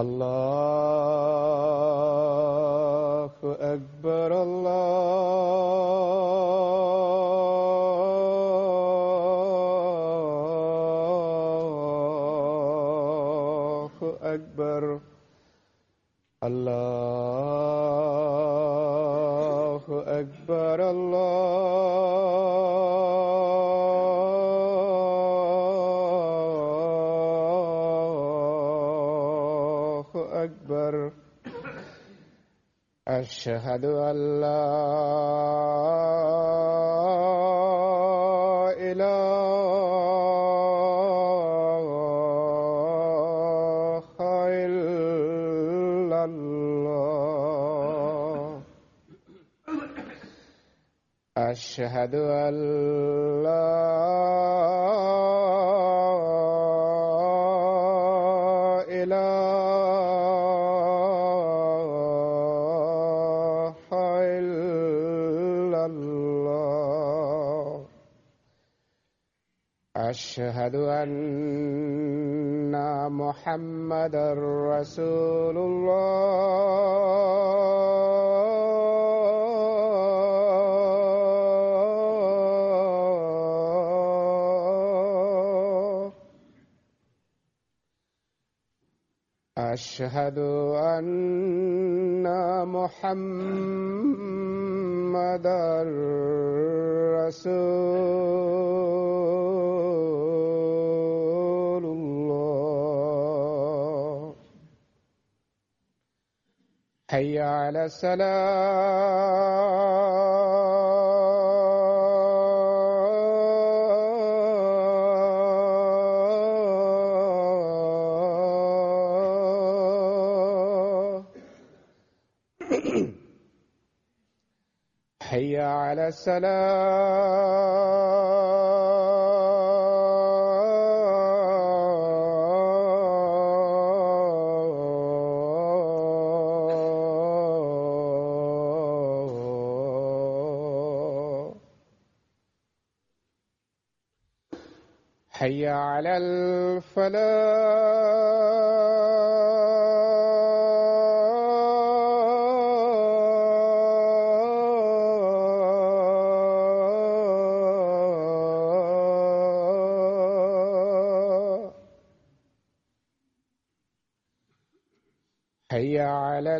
الله أكبر الله أكبر الله أكبر الله أكبر أشهد أن لا إله إلا الله أشهد أن لا إله إلا الله أشهد أن محمدا رسول الله أشهد أن محمدا رسول الله حي على السلام حي على السلام حي على الفلاح حي على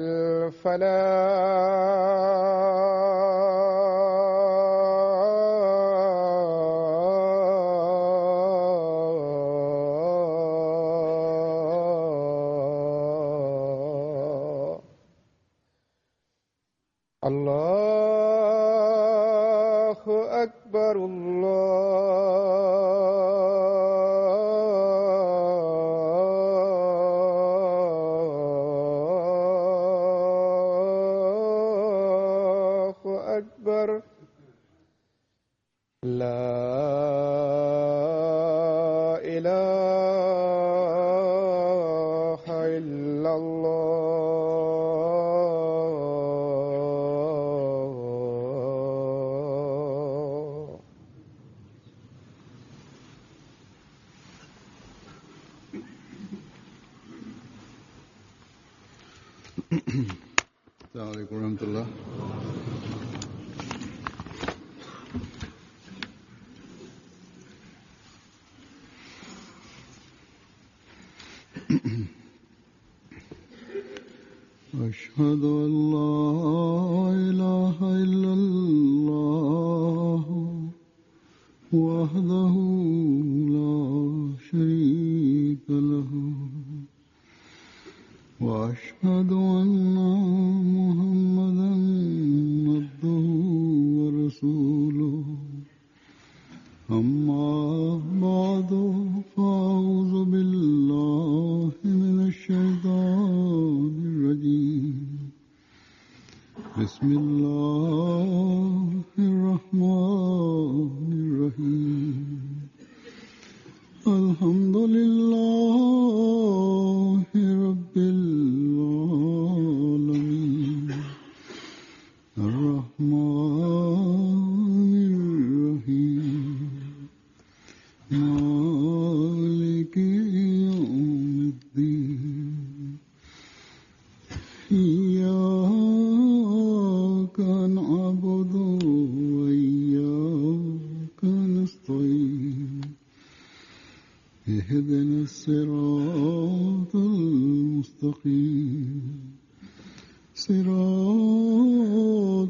الفلاح الله أكبر الله أكبر لا إله إلا الله. السلام عليكم ورحمة الله. أشهد أن لا إله إلا الله وحده لا شريك له وأشهد أن محمدا عبده ورسوله. أما بعد فأعوذ بالله من الشيطان الرجيم. بسم الله الرحمن الرحيم. الحمد لله رب العالمين الرحمن الرحيم مالك يوم الدين. إياك نعبد وإياك نستعين اهدنا الصراط المستقيم صراط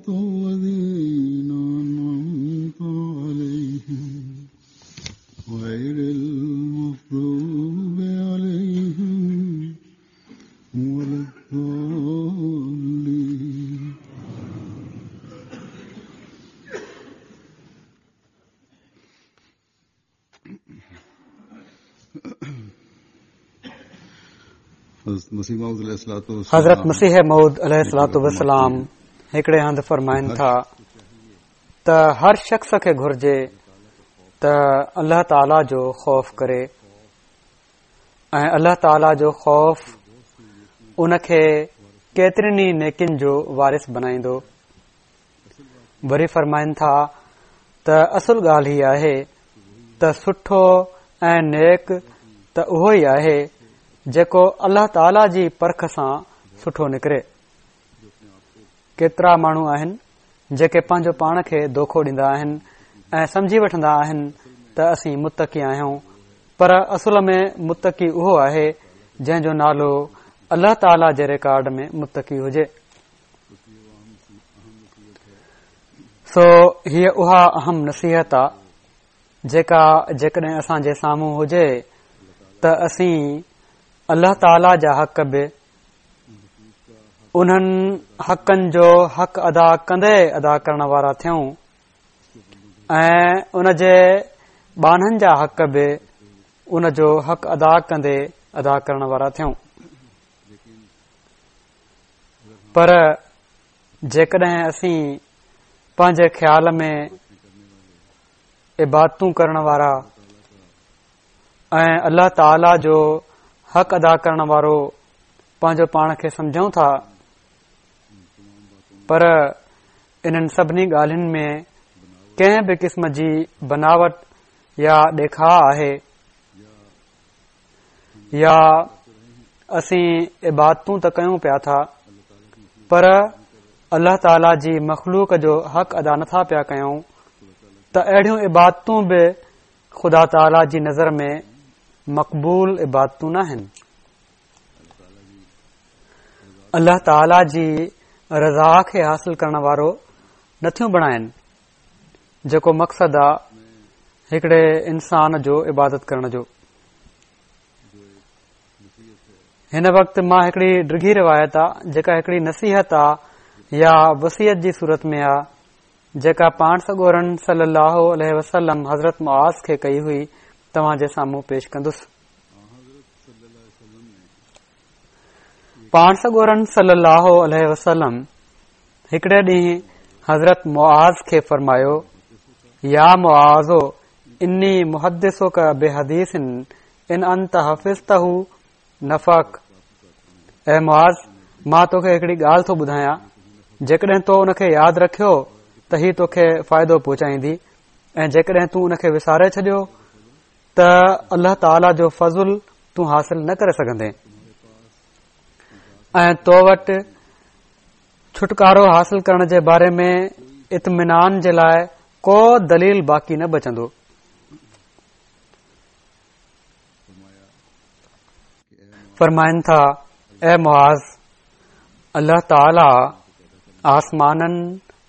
الذين أنعمت عليهم غير المغضوب عليهم ولا الضالين. حضرت مسيح موعود عليه الصلوة والسلام هڪڙي هنڌ فرمائن ٿا ته هر شخص کي گهرجي ته الله تعاليٰ جو خوف ڪري ۽ الله تعاليٰ جو خوف ان کي ڪيترين ئي نيڪين جو وارث بنائيندو. وري فرمائن ٿا ته اصل ڳالهه هي آهي ته سٺو ۽ نيڪ ته اهو ئي آهي جيڪو الله تعاليٰ جي پرک سان سٺو نڪري. ڪيترا ماڻهو آهن جيڪي پنهنجو پاڻ کي دوکو ڏيندا آهن ۽ سمجهي وٺندا آهن ته اسين متقي آهيون پر اصل ۾ متقي اهو آهي جنهن جو نالو الله تعاليٰ جي رڪارڊ ۾ متقي هجي. سو هيء اها اهم نصيحت آ جيڪا جيڪڏهن اسان جي سامهون هجي ته اسين الله تعاليٰ جا حق به انهن حقن جو حق ادا ڪندي ادا ڪرڻ وارا ٿيون ۽ ان جي ٻانهن جا حق به ان جو حق ادا ڪندي ادا ڪرڻ وارا ٿيون. پر جيڪڏهن اسين پنهنجي خيال ۾ عبادتون ڪرڻ وارا ۽ الله تعاليٰ جو حق ادا ڪرڻ وارو پنهنجو پاڻ کي سمجهون ٿا پر انهن سڀني ڳالهين ۾ ڪنهن به قسم جي بناوٽ يا ڏيکاء آهي يا اسين عبادتون ته ڪيون پيا ٿا پر الله تعاليٰ جي مخلوق جو حق ادا نٿا پيا ڪيون ته اهڙيون عبادتون به خدا تعاليٰ جي نظر ۾ مقبول عبادتون ناهن. الله تعاليٰ جي رضا کي حاصل ڪرڻ وارو نٿيون بڻائن جيڪو مقصد آ هڪڙي انسان جو عبادت ڪرڻ جو. هن وقت مان هڪڙي ڊگهي روايت آ جيڪا هڪڙي نصيحت آ يا وصيت جي صورت ۾ آ جيڪا پاڻ سڳورن صلي الله عليه وسلم حضرت معاذ کي ڪئي هئي توهان جي سامهون پيش ڪندس. پاڻ سڳورن صلي الله عليه وسلم هڪڙي ڏينهن حضرت معاذ کي فرمايو، يا معاذ اني محدثک بحديث ان انت حفظته نفعک، اي معاذ مان توکي هڪڙي ڳالهه ٿو ٻڌايان جيڪڏهن تو ان کي ياد رکيو ته هي توکي فائدو پهچائيندي ۽ جيڪڏهن تون ان کي وساري ڇڏيو ته الله تعاليٰ جو فضل تون حاصل نه ڪري سگهندين ۽ تو وٽ ڇوٽڪارو حاصل ڪرڻ جي باري ۾ اطمينان جي لاء ڪو دليل باقي نه بچندو. فرمائن ٿا، اي معاذ! الله تعاليٰ آسمانن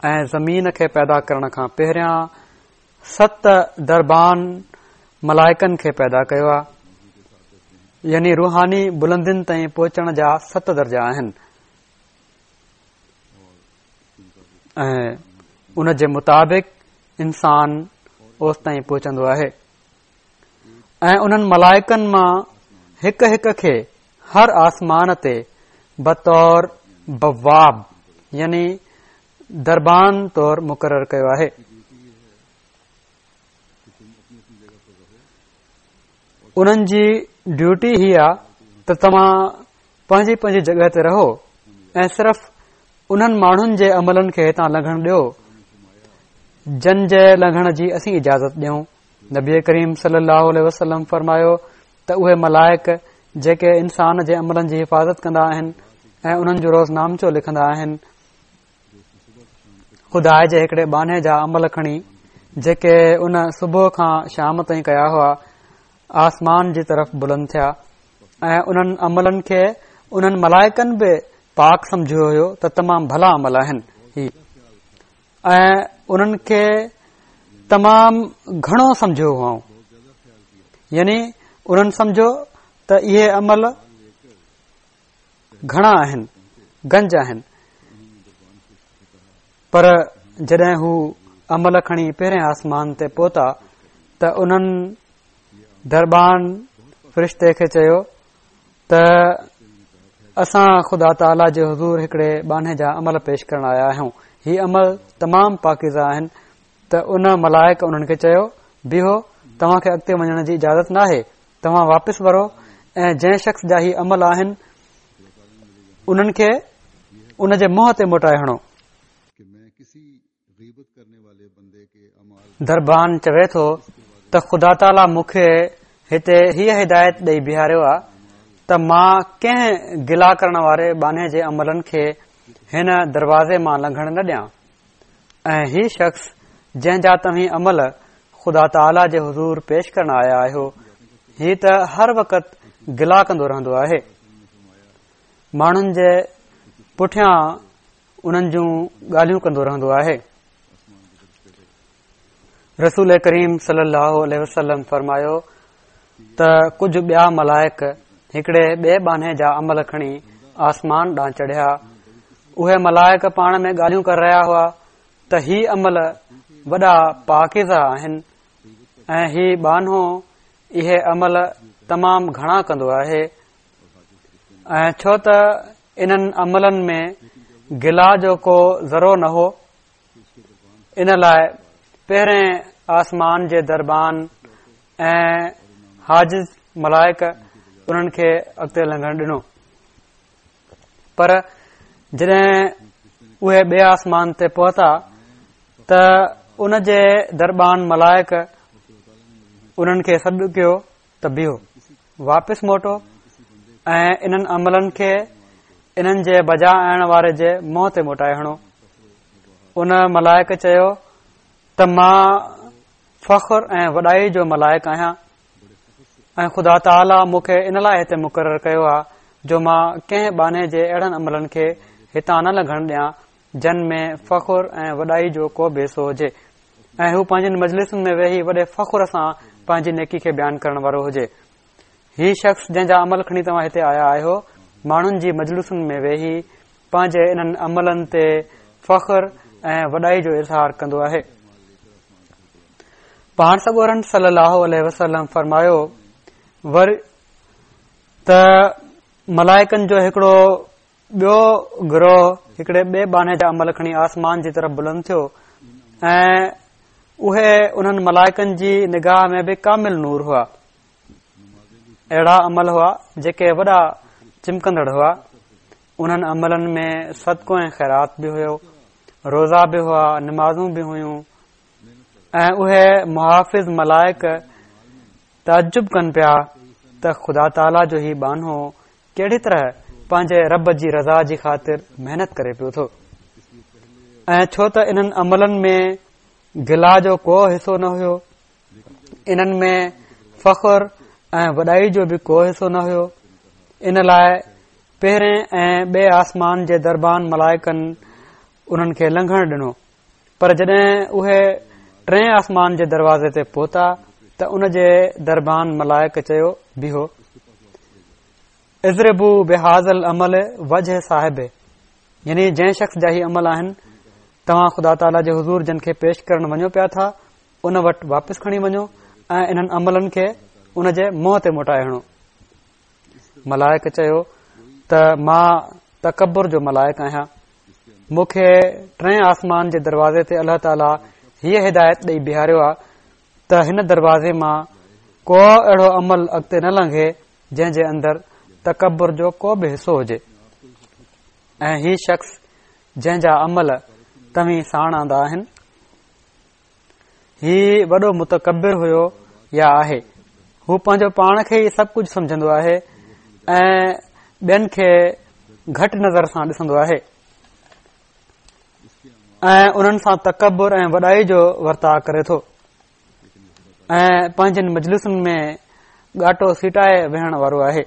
۽ زمين کي پيدا ڪرڻ کان پهريان ست دربان ملائڪن کي پيدا ڪيو آهي يعني روحاني بلندين تائين پهچڻ جا ست درجا آهن ۽ ان جي مطابق انسان اوستائين پهچندو آهي ۽ انهن ملائڪن مان هڪ هڪ کي هر آسمان تي بطور بواب يعني دربان طور مقرر ڪيو آهي. انهن جي ڊيوٽي هي آ ته توهان پنهنجي پنهنجي جڳهه تي رهو ۽ صرف انهن ماڻهن جي عملن کي هتان لنگهڻ ڏيو جن جي لنگهڻ جي اسين اجازت ڏيون. نبي ڪريم صلي الله عليه وسلم فرمايو ته اهي ملائڪ جيڪي انسان جي عملن جي حفاظت ڪندا آهن ۽ انهن جو روزنامچو لکندا آهن، خدا جي هڪڙي ٻانهي جا عمل کڻي جيڪي ان صبح کان شام تائين ڪيا هئا، آسمان جي طرف بلند ٿيا ۽ انهن عملن کي انهن ملائڪن به پاڪ سمجهيو هيو ته تمام ڀلا عمل آهن هي ۽ انهن کي تمام گهڻو سمجهيو هئائون، يعني انهن سمجهيو ته اهي عمل گهڻا آهن، گنج آهن، پر جڏهن هو عمل کڻي پهرين آسمان تي پهتا ته انهن دربان فرشتي کي چيو ته اسان خدا تعاليٰ جي حضور هڪڙي ٻانهي جا عمل پيش ڪرڻ آيا آهيون، هي عمل تمام پاڪيزه آهن. ته ان ملائڪ انهن کي چيو، بيهو، توهان کي اڳتي وڃڻ جي اجازت ناهي، توهان واپس ورو ۽ جنهن شخص جا هي عمل آهن انهن کي ان جي منهن تي موٽائي هڻو. دربان چوي ٿو ته خدا تعاليٰ مون کي هتي هيء هدايت ڏئي بيهاريو آ ته مان ڪنهن گلا ڪرڻ واري ٻانهي جي عملن کي هن دروازي مان لنگهڻ نه ڏيان. ۽ هي شخص جنهن جا توهين عمل خدا تعاليٰ جي حضور پيش ڪرڻ آيا آهيو، هي ته هر وقت گلا ڪندو رهندو آهي. ماڻهن جي پٺيان انهن جون ڳالهيون ڪندو رهندو آهي. رسول ڪريم صلي الله عليه وسلم فرمايو ته ڪجهه ٻيا ملائڪ هڪڙي ٻئي ٻانهي جا عمل کڻي آسمان ڏانهن چڙهيا. اهي ملائڪ پاڻ ۾ ڳالهيون ڪري رهيا هئا ته هي عمل وڏا پاڪيزه آهن ۽ هي ٻانهو اهي عمل تمام گهڻا ڪندو آهي ۽ ڇو ته انهن عملن ۾ گلا جو ڪو ذرو نه هو، ان لاء پهرين آسمان جي دربان ۽ حاجز ملائڪ انهن کي اڳتي لنگهڻ ڏنو، پر جڏهن اهي ٻئي آسمان تي پهتا ته ان جي دربان ملائڪ انهن کي سڏ ڪيو ته بيهو، واپس موٽو ۽ انهن عملن کي انهن جي بجا آڻڻ واري جي منهن تي موٽائي هڻو. ان ملائڪ چيو ته مان فخر ۽ وڏائي جو ملائڪ آهيان ۽ خدا تعاليٰ مون کي ان لاء هتي مقرر ڪيو آهي جو مان ڪنهن ٻانهي جي اهڙن عملن کي هتان نه لنگهڻ ڏيان جن ۾ فخر ۽ وڏائي جو ڪو به حصو هجي ۽ هو پنهنجين مجلسن ۾ ويهي وڏي فخر سان پنهنجي نيڪي کي بيان ڪرڻ وارو هجي. هي شخص جنهن جا عمل کڻي توهان هتي آيا آهيو، ماڻهن جي مجلسن ۾ ويهي پنهنجي انهن عملن تي فخر ۽ وڏائي جو اظهار ڪندو آهي. پاڻ سڳورن صلي الله عليه وسلم فرمايو وري ته ملائڪن جو هڪڙو ٻيو گروهه هڪڙي ٻئي ٻانهي جا عمل کڻي آسمان جي طرف بلند ٿيو ۽ اهي انهن ملائڪن جي نگاهه ۾ به ڪامل نور هئا. اهڙا عمل هئا جيڪي وڏا چمڪندڙ هئا. انهن عملن ۾ صدقو ۽ خيرات به هيو، روزا به هئا، نمازون به هيون ۽ اهي محافظ ملائڪ تعجب ڪن پيا ته خدا تعاليٰ جو هي ٻانهو ڪهڙي طرح پنهنجي رب جي رضا جي خاطر محنت ڪري پيو ٿو ۽ ڇو ته انهن عملن ۾ گلا جو ڪو حصو نه هيو، انهن ۾ فخر ۽ وڏائي جو به ڪو حصو نه هيو، ان لاء پهرين ۽ ٻئي آسمان جي دربان ملائڪن انهن کي لنگهڻ ڏنو، پر جڏهن اهي ٽئين آسمان جي دروازي تي پهتا ته ان جي دربان ملائڪ چيو، بيهو، اضربوا بهذا العمل وجه صاحبه، يعني جنهن شخص جا هي عمل آهن، توهان خدا تعاليٰ جي حضور جن کي پيش ڪرڻ وڃو پيا ٿا، ان وٽ واپس کڻي وڃو ۽ انهن عملن کي ان جي منهن تي موٽائي هڻو. ملائڪ چيو ته مان تڪبر جو ملائڪ آهيان، مون کي ٽئين آسمان جي دروازي تي الله تعاليٰ هيء هدايت ڏئي بيهاريو آهي ته هن دروازي مان ڪو اهڙو عمل اڳتي نه لنگهي جنهن جي اندر تڪبر جو ڪو به حصو هجي ۽ هي شخص جنهن جا عمل توهين ساڻ آندا آهن، هي وڏو متڪبر هيو يا آهي. هو پنهنجو پاڻ کي ئي سڀ ڪجهه سمجهندو آهي ۽ ٻين کي گهٽ نظر سان ڏسندو آهي ۽ انهن سان تڪبر ۽ وڏائي جو ورتاء ڪري ٿو ۽ پنهنجن مجلسن ۾ ڳاٽو سيٽائي ويهڻ وارو آهي.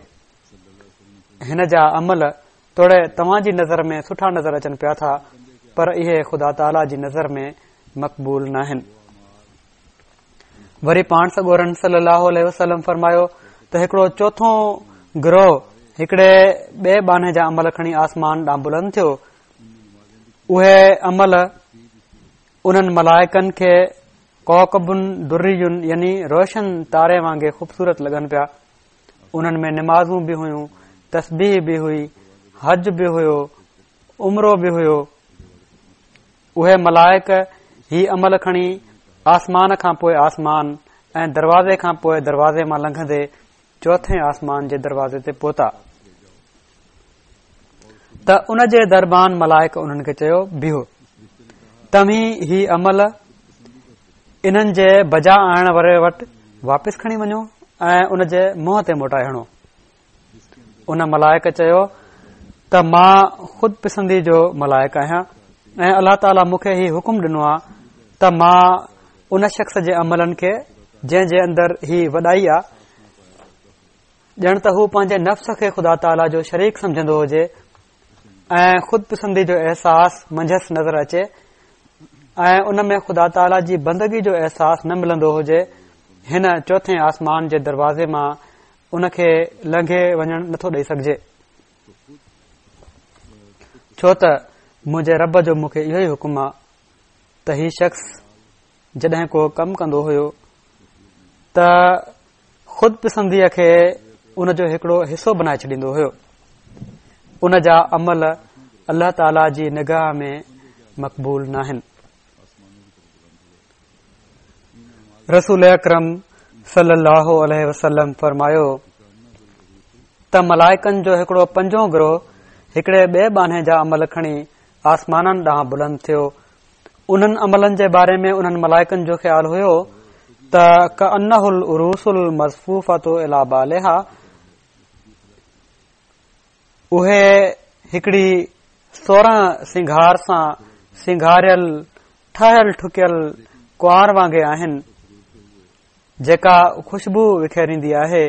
هن جا عمل توڙي توهان جي نظر ۾ سٺا نظر اچن پيا ٿا پر اهي خدا تعاليٰ جي نظر ۾ مقبول ناهن. وري پاڻ سڳورن صلي الله عليه وسلم فرمايو ته هڪڙو چوٿون گروه هڪڙي ٻئي ٻانهي جا عمل کڻي آسمان ڏانهن بلند ٿيو. اهي عمل انهن ملائڪن کي ڪوڪب دري يعني روشن تاري وانگي خوبصورت لڳن پيا. انهن ۾ نمازون به هيون، تسبيح به هئي، حج به هيو، عمرو به هيو. اهي ملائڪ هي عمل کڻي آسمان کان پوء آسمان ۽ دروازي کان پوء دروازي مان لنگهندي چوٿين آسمان جي دروازي تي پهتا ته ان جي دربان ملائڪ انهن کي چيو بيهو توهين هي عمل انهن جي بجا آڻڻ واري وٽ واپس کڻي وڃو ۽ ان جي منهن تي موٽائي هڻو. ان ملائڪ چيو ته مان خود پسندي جو ملائڪ آهيان ۽ الله تعاليٰ مون کي هي حڪم ڏنو آهي ته مان ان شخص جي عملن کي جنهن جي اندر هي وڏائي آ ڄڻ ته هو پنهنجي نفس کي خدا تعاليٰ جو شريڪ سمجهندو هجي ۽ خود پسندي جو احساس منجهس نظر اچي ۽ ان ۾ خدا تعاليٰ جي بندگي جو احساس نه ملندو هجي هن چوٿين آسمان جي دروازي مان ان کي لنگهي وڃڻ نٿو ڏئي سگهجي ڇو ته منهنجي رب جو مون کي اهو ئي حڪم آ ته هي شخص جڏهن ڪو ڪم ڪندو هيو ته خود پسنديء کي ان جو هڪڙو حصو بنائي ڇڏيندو هيو. ان جا عمل الله تعاليٰ جي نگاهه ۾ مقبول ناهن. رسول اڪرم صلي الله عليه وسلم فرمايو ته ملائڪن جو هڪڙو پنجون گروه هڪڙي ٻئي ٻانهي جا عمل کڻي آسمانن ڏانهن بلند ٿيو. انهن عملن جي باري ۾ انهن ملائڪن جو خيال هيو ته ڪانه العروس المزفوفة الي بعلها اهي هڪڙي 16 سنگهار سان سنگهاريل ٺهيل ٺڪيل ڪنوار وانگي آهن جيڪا خوشبو وکيريندي آهي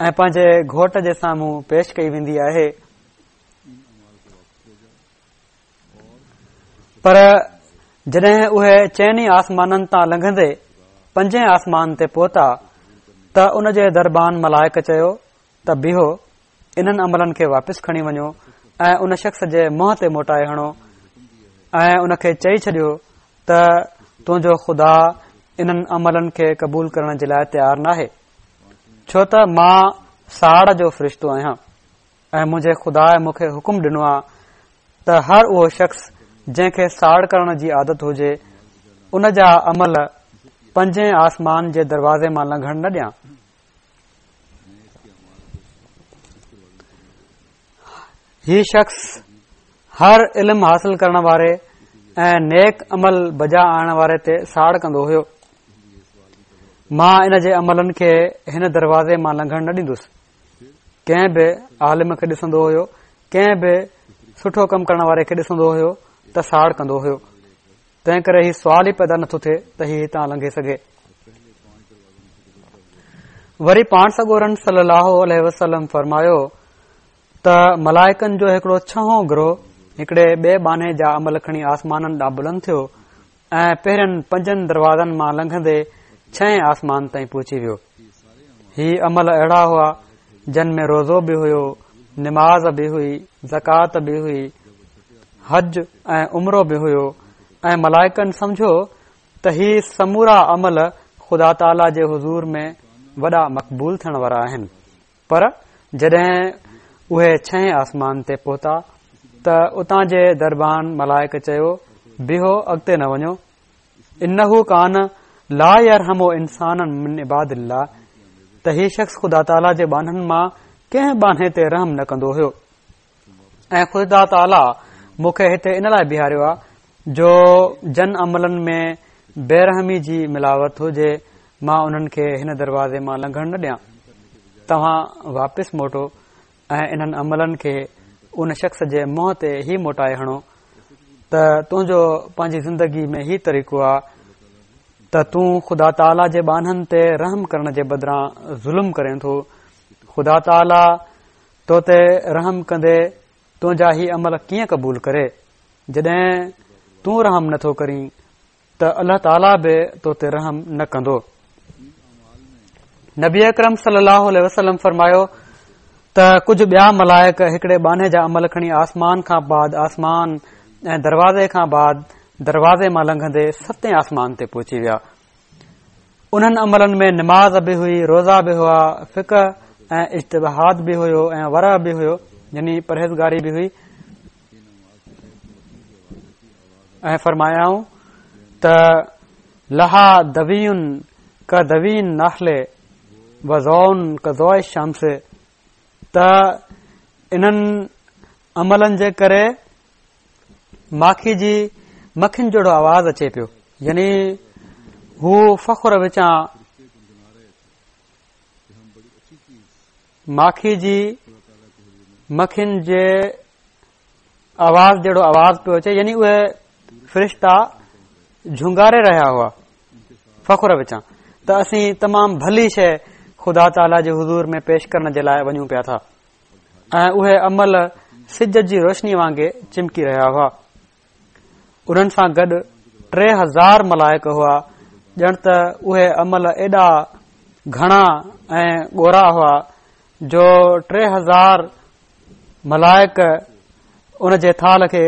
۽ پنهنجي گهوٽ جي سامهون پيش ڪئي ويندي آهي. پر جڏهن اهي چئن ئي آسمانن تان لنگهندي پنجين آسمان تي پهتا ته ان جي دربان ملائڪ چيو ته بيهو انهن عملن کي واپس کڻي وڃو ۽ ان شخص جي منهن تي موٽائي هڻو ۽ ان کي چئي ڇڏيو ته تنهنجو خدا انهن عملن کي قبول ڪرڻ جي لاء تيار ناهي ڇو ته مان ساڙ جو فرشتو آهيان ۽ منهنجي خدا مون کي حڪم ڏنو آ ته هر اهو شخص جنهن کي ساڙ ڪرڻ جي عادت هجي ان جا عمل پنجين آسمان جي دروازي مان لنگهڻ نه ڏيان. هي شخص هر علم حاصل ڪرڻ واري ۽ نيڪ عمل بجا آڻڻ واري تي ساڙ ڪندو هيو. مان ان جي عملن کي هن دروازي مان لنگهڻ نه ڏيندس. ڪنهن به عالم کي ڏسندو هيو ڪنهن به سٺو ڪم ڪرڻ واري کي ڏسندو هيو ته ساڙ ڪندو هيو تنهن ڪري هي سوال ئي پيدا نٿو ٿئي ته هي هتان لنگهي سگهي. وري پاڻ سڳورن صلي الله عليه وسلم فرمايو ته ملائڪن جو هڪڙو ڇهون گروه هڪڙي ٻئي ٻانهي جا عمل کڻي آسمانن ڏانهن بلند ٿيو ۽ پهرين پنجن دروازن مان لنگهندي ڇهين آسمان تائين پهچي ويو. هي عمل اهڙا هئا جن ۾ روزو به هيو، نماز به هئي، زڪوات به هئي، حج ۽ عمرو به هيو ۽ ملائڪن سمجهيو ته هي سمورا عمل خدا تعاليٰ جي حضور ۾ وڏا مقبول ٿيڻ وارا آهن. پر جڏهن اهي ڇهين آسمان تي پهتا ته اتان جي دربان ملائڪ چيو، بيهو اڳتي نه وڃو، انه ڪان لا يرحم انسانا من عباد الله ته هي شخص خدا تعاليٰ جي ٻانهن مان ڪنهن ٻانهي تي رحم نه ڪندو هيو. ۽ خدا تعاليٰ مون کي هتي ان لاء بيهاريو آهي جو جن عملن ۾ بي رحمي جي ملاوت هجي مان انهن کي هن دروازي مان لنگهڻ نه ڏيان. توهان واپس موٽو ۽ انهن عملن کي ان شخص جي منهن تي هي موٽائي هڻو ته تنهنجو پنهنجي زندگي ۾ هي طريقو آ ته تون خدا تعاليٰ جي ٻانهن تي رحم ڪرڻ جي بدران ظلم ڪرين ٿو. خدا تعاليٰ تو تي رحم ڪندي تنهنجا هي عمل ڪيئن قبول ڪري؟ جڏهن تون رحم نٿو ڪرين ته الله تعاليٰ به تو تي رحم نه ڪندو. نبي اڪرم صلي الله عليه وسلم فرمايو ته ڪجهه ٻيا ملائڪ هڪڙي ٻانهي جا عمل کڻي آسمان کان بعد آسمان ۽ دروازي کان بعد دروازي مان لنگهندي ستين آسمان تي پهچي ويا. انهن عملن ۾ نماز به هئي، روزا به هئا، فقه ۽ اجتهاد به هيو ۽ ورع به هيو يعني پرهيزگاري به هئي ۽ فرمايائون ته لها دوي ڪدوي النحل و ضوء ڪضوء الشمس ته انهن عملن جي ڪري ماکي جي مکين جهڙو آواز اچي پيو يعني هو فخر وچان ماکي جي مکين جي آواز جهڙو آواز پيو اچي يعني اهي فرشتا جهونگاري رهيا هئا فخر وچان ته اسين تمام ڀلي شيء خدا تعاليٰ جي حضور ۾ پيش ڪرڻ جي لاء وڃون پيا ٿا ۽ اهي عمل سج جي روشني وانگي چمڪي رهيا هئا. انهن سان گڏ 3000 ملائڪ هئا، ڄڻ ته اهي عمل ايڏا گهڻا ۽ ڳورا هئا جو 3000 ملائڪ ان جي ٿالهه کي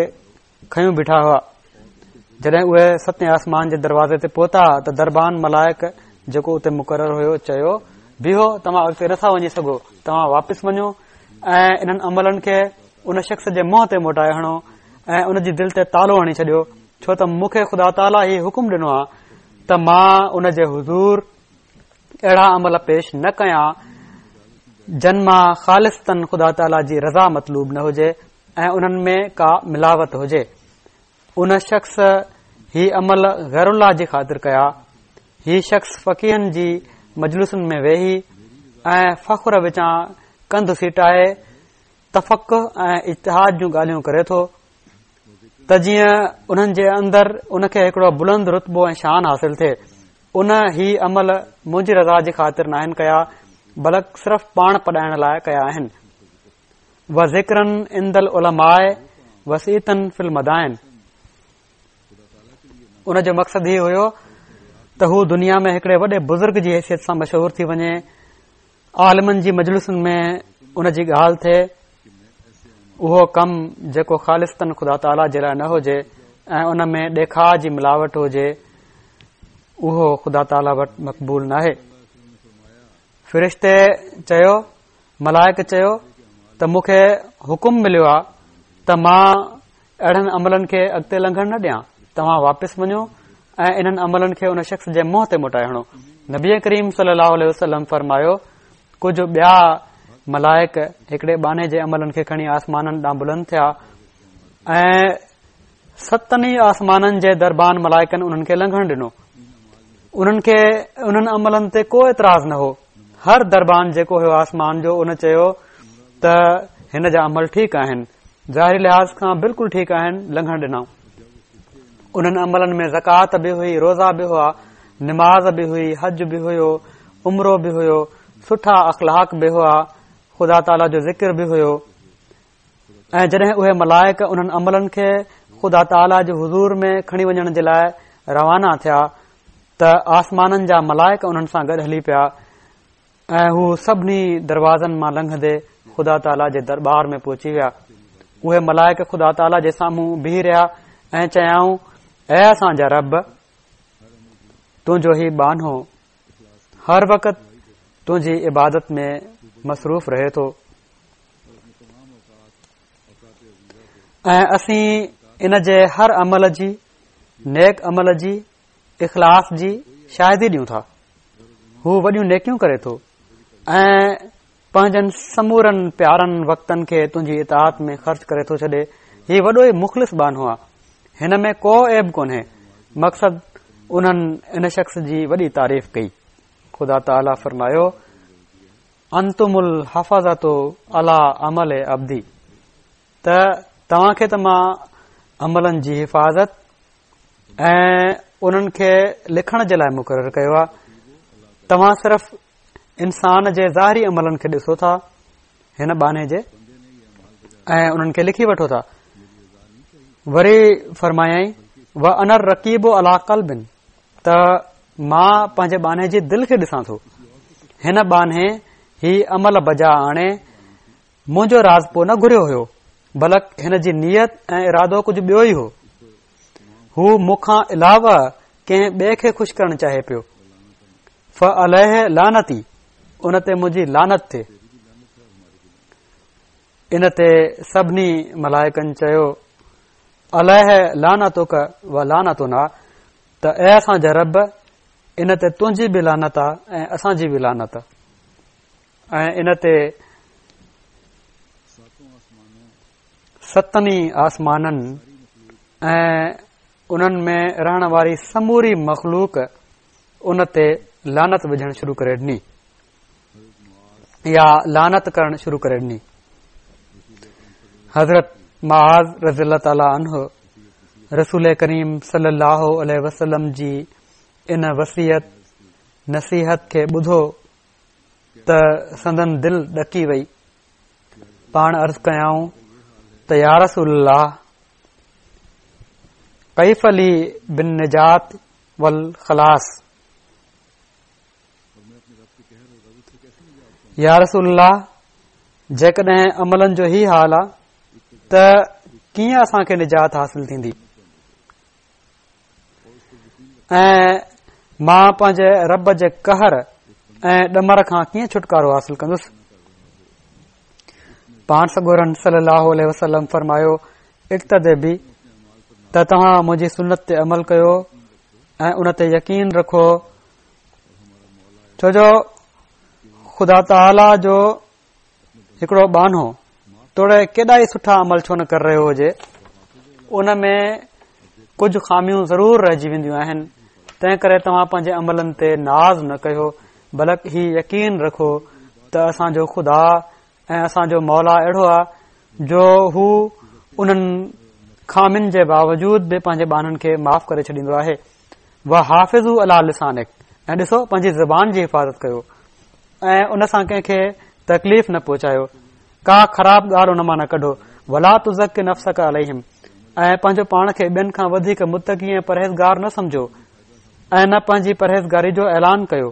کنيون بيٺا هئا. جڏهن اهي ستين آسمان جي دروازي تي پهتا ته دربان ملائڪ جيڪو اتي مقرر هيو چيو، بيهو، توهان اڳتي نٿا وڃي سگهو، توهان واپس وڃو ۽ انهن عملن کي ان شخص جي منهن تي موٽائي هڻو ۽ ان جي دل تي تالو هڻي ڇڏيو، ڇو ته مون کي خدا تعاليٰ هي حڪم ڏنو آهي ته مان ان جي حضور اهڙا عمل پيش نه ڪيان جن مان خالصتاً خدا تعاليٰ جي رضا مطلوب نه هجي. ۽ انهن ۾ ڪا ملاوٽ هجي. ان شخص هي عمل غير الله جي خاطر ڪيا. هي شخص فقيهن جي مجلسن ۾ ويهي ۽ فخر وچان ڪنڌ سيٽائي تفقه ۽ اجتهاد جون ڳالهيون ڪري ٿو ته جيئن انهن جي اندر ان کي هڪڙو بلند رتبو ۽ شان حاصل ٿئي. ان هي عمل منهنجي رضا جي خاطر ناهن ڪيا بلڪ صرف پاڻ پڏائڻ لاء ڪيا آهن. وذڪرا عند العلماء وصيتا في المدائن ان جو مقصد هي هيو ته هو دنيا ۾ هڪڙي وڏي بزرگ جي حيثيت سان مشهور ٿي وڃي عالمن جي مجلسن ۾ ان جي ڳالهه ٿئي اهو ڪم جيڪو خالصتاً خدا تعاليٰ جي لاء نه هجي ۽ ان ۾ ڏيکاء جي ملاوٽ هجي اهو خدا تعاليٰ وٽ مقبول ناهي فرشتي چيو ملائڪ چيو ته مون کي حڪم مليو آهي ته مان اهڙن عملن کي اڳتي لنگهڻ نه ڏيان توهان واپس وڃو ۽ انهن عملن کي ان شخص جي منهن تي موٽائي هڻو نبي ڪريم صلي الله عليه وسلم فرمايو ڪجهه ٻيا ملائڪ هڪڙي ٻانهي جي عملن کي کڻي آسمانن ڏانهن بلند ٿيا ۽ ستن ئي آسمانن جي دربان ملائڪن انهن کي لنگهڻ ڏنو انهن کي انهن عملن تي ڪو اعتراض نه هو هر دربان جيڪو هيو آسمان جو ان چيو ته هن جا عمل ٺيڪ آهن ظاهري لحاظ کان بلڪل ٺيڪ آهن لنگهڻ ڏنائون انهن عملن ۾ زڪوات به هئي روزا به هئا نماز به هئي حج به هيو عمرو به هيو سٺا اخلاق به هئا خدا تعاليٰ جو ذڪر به هيو ۽ جڏهن اهي ملائڪ انهن عملن کي خدا تعاليٰ جي حضور ۾ کڻي وڃڻ جي لاء روانا ٿيا ته آسمانن جا ملائڪ انهن سان گڏ هلي پيا ۽ هو سڀني دروازن مان لنگهندي خدا تعاليٰ جي درٻار ۾ پهچي ويا اهي ملائڪ خدا تعاليٰ جي سامهون بيهي رهيا ۽ چيائون اي اسان جا رب تنهنجو هي ٻانهو هر وقت تنهنجي عبادت ۾ مصروف رهي ٿو ۽ اسين ان جي هر عمل جي نيڪ عمل جي اخلاص جي شاهدي ڏيون ٿا هو وڏيون نيڪيون ڪري ٿو ۽ پنهنجن سمورن پيارن وقتن کي تنهنجي اطاعت ۾ خرچ ڪري ٿو ڇڏي هي وڏو ئي مخلص ٻانهو آ هن ۾ ڪو عيب ڪونهي مقصد انهن ان شخص جي وڏي تعريف ڪئي خدا تعاليٰ فرمايو انتم الحفظة علي عمل عبدي. ته توهان کي ته مان عملن جي حفاظت ۽ انهن کي لکڻ جي لاء مقرر ڪيو آهي. توهان صرف انسان جي ظاهري عملن کي ڏسو ٿا هن ٻانهي جي ۽ انهن کي لکي وٺو ٿا. وري فرمايائين و انا الرقيب علي قلب ته مان پنهنجي ٻانهي جي دل کي ڏسان ٿو. هن ٻانهي هي عمل بجا آڻي منهنجو راضپو نه گهريو هيو، بلڪ هن جي نيت ۽ ارادو ڪجهه ٻيو ئي هو. هو مون کان علاوه ڪنهن ٻئي کي خوش ڪرڻ چاهي پيو. فعليه لعنتي، ان تي منهنجي لعنت ٿئي. ان تي سڀني ملائڪن چيو، عليه لعنتڪ و لعنتنا، ته اي اسان جا رب، ان تي تنهنجي به لعنت آ ۽ اسان جي به لعنت آ. ۽ ان تي ستن ئي آسمانن ۽ انهن ۾ رهڻ واري سموري مخلوق ان تي لعنت وجهڻ شروع ڪري ڏني يا لعنت ڪرڻ شروع ڪري ڏني. حضرت معاذ رضي الله تعالي عنه رسول ڪريم صلي الله عليه وسلم جي ان وصيت نصيحت کي ٻڌو ته سندن دل ڏڪي وئي. پاڻ عرض ڪيائون ته يا رسول الله ڪيف لي بالنجات والخلاص يا رسول الله جيڪڏهن عملن جو هي حال آ ته ڪيئن اسان کي نجات حاصل ٿيندي ۽ مان پنهنجي رب جي قهر ۽ ڏمر کان ڪيئن ڇوٽڪارو حاصل ڪندس؟ پاڻ سڳورن صلي الله عليه وسلم فرمايو اقتد بي ته توهان منهنجي سنت تي عمل ڪيو ۽ ان تي يقين رکو ڇو جو خدا تعاليٰ جو هڪڙو ٻانهو توڙي ڪيڏا ئي سٺا عمل ڇو نه ڪري رهيو هجي ان ۾ ڪجهه خاميون ضرور رهجي وينديون آهن تنهن ڪري توهان پنهنجي عملن تي ناز نه ڪيو بلڪ هي يقين رکو ته اسان جو خدا ۽ اسان جو مولا اهڙو آهي جو هو انهن خامين جي باوجود به پنهنجي ٻانهن کي معاف ڪري ڇڏيندو آهي وحافظوا علي لسانڪ ۽ ڏسو پنهنجي زبان جي حفاظت ڪيو ۽ ان سان ڪنهن کي تڪليف نه پهچايو، ڪا خراب ڳالهه ان مان نه ڪڍو، ولا تزڪ نفسڪ عليهم ۽ پنهنجو پاڻ کي ٻين کان وڌيڪ متقي ۽ پرهيزگار نه سمجهو ۽ نه پنهنجي پرهيزگاري جو اعلان ڪيو.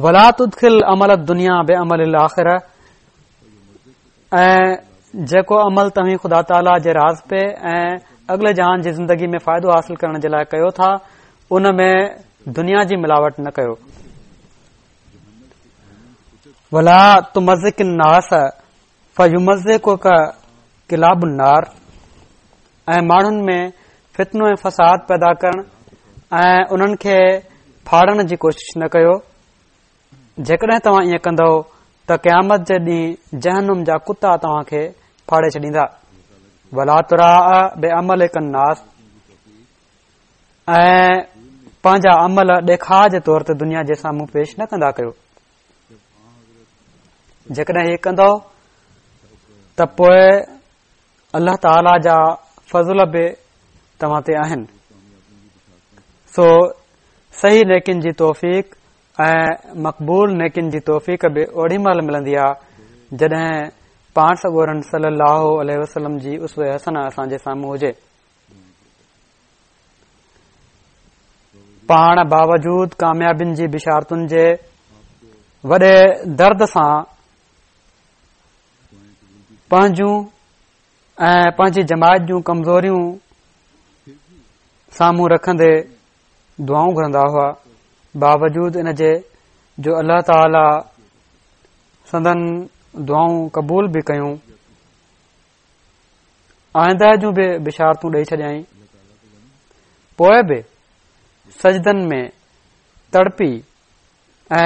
ولا تدخل عمل الدنيا بعمل الاخره ۽ جيڪو عمل توهين خدا تعاليٰ جي راضپي ۽ اڳلي جهان جي زندگي ۾ فائدو حاصل ڪرڻ جي لاء ڪيو ٿا ان ۾ دنيا جي ملاوٽ نه ڪيو. ولا تمزق الناس فيمزقڪ ڪلاب النار ۽ ماڻهن ۾ فتنو ۽ فساد پيدا ڪرڻ ۽ انهن کي ڦاڙڻ جي ڪوشش نه ڪيو. جيڪڏهن توهان ائين ڪندؤ ته قيامت جي ڏينهن جهنم جا ڪتا توهان کي ڦاڙي ڇڏيندا. ولا تراء بعملڪ الناس ۽ پنهنجا عمل ڏيکاء جي طور تي دنيا جي سامهون پيش نه ڪندا ڪيو. جيڪڏهن هي ڪندؤ ته پوء الله تعاليٰ جا فضل به توهان تي آهن. سو صحيح نيڪين جي توفيق ۽ مقبول نيڪين جي توفيق به اوڏي مهل ملندي آ جڏهن پاڻ سڳورن صلي الله عليه وسلم جي اسوه حسنه اسان جي سامهون هجي. پاڻ باوجود ڪاميابين جي بشارتن جي وڏي درد سان پنهنجون ۽ پنهنجي جماعت جون ڪمزوريون سامهون رکندي دعائون گهرندا هئا باوجود ان جي جو الله تعالي سندن دعائون قبول به ڪيون آئنده جون به بشارتون ڏئي ڇڏيائين پوء به سجدن ۾ تڙپي ۽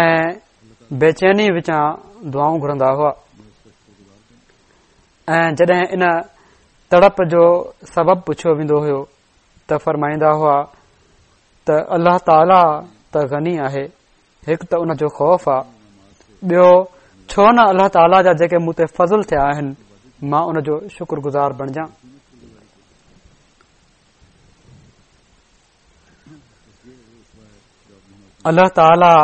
بيچيني وچان دعائون گهرندا هئا ۽ جڏهن ان تڙپ جو سبب پڇيو ويندو هيو ته فرمائيندا هئا ته الله تعاليٰ ته غني آهي، هڪ ته ان جو خوف آ، ٻيو ڇو نه الله تعاليٰ جا جيڪي مون تي فضل ٿيا آهن مان ان جو شڪر گذار بڻجان. الله تعاليٰ